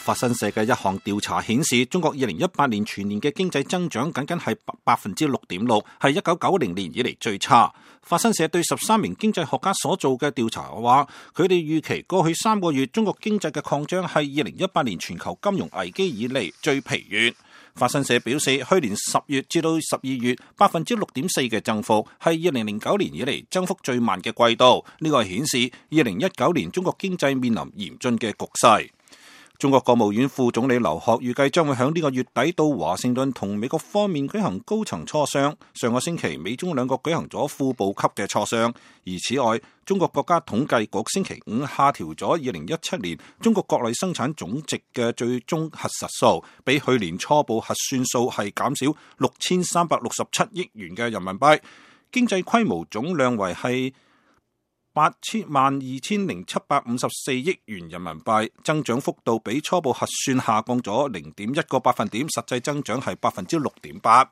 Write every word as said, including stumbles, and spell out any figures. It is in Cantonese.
法新社嘅一項調查顯示，中國二零一八年全年嘅經濟增長僅僅係百分之六點六，係一九九零年以嚟最差。法新社對十三名經濟學家所做嘅調查話，佢哋預期過去三個月中國經濟嘅擴張係二零一八年全球金融危機以嚟最疲軟。法新社表示，去年十月至到十二月百分之六點四嘅增幅係二零零九年以嚟增幅最慢嘅季度。呢個係顯示二零一九年中國經濟面臨嚴峻嘅局勢。中國國務院副總理劉鶴預計將會喺呢個月底到華盛頓同美國方面舉行高層磋商。上個星期，美中兩國舉行咗副部級嘅磋商。而此外，中國國家統計局星期五下調咗二零一七年中國國內生產總值嘅最終核實數，比去年初步核算數係減少六千三百六十七億元嘅人民幣，經濟規模總量為係八千萬二千零七百五十四億元人民幣，增長幅度比初步核算下降咗零點一個百分點，實際增長係百分之六點八。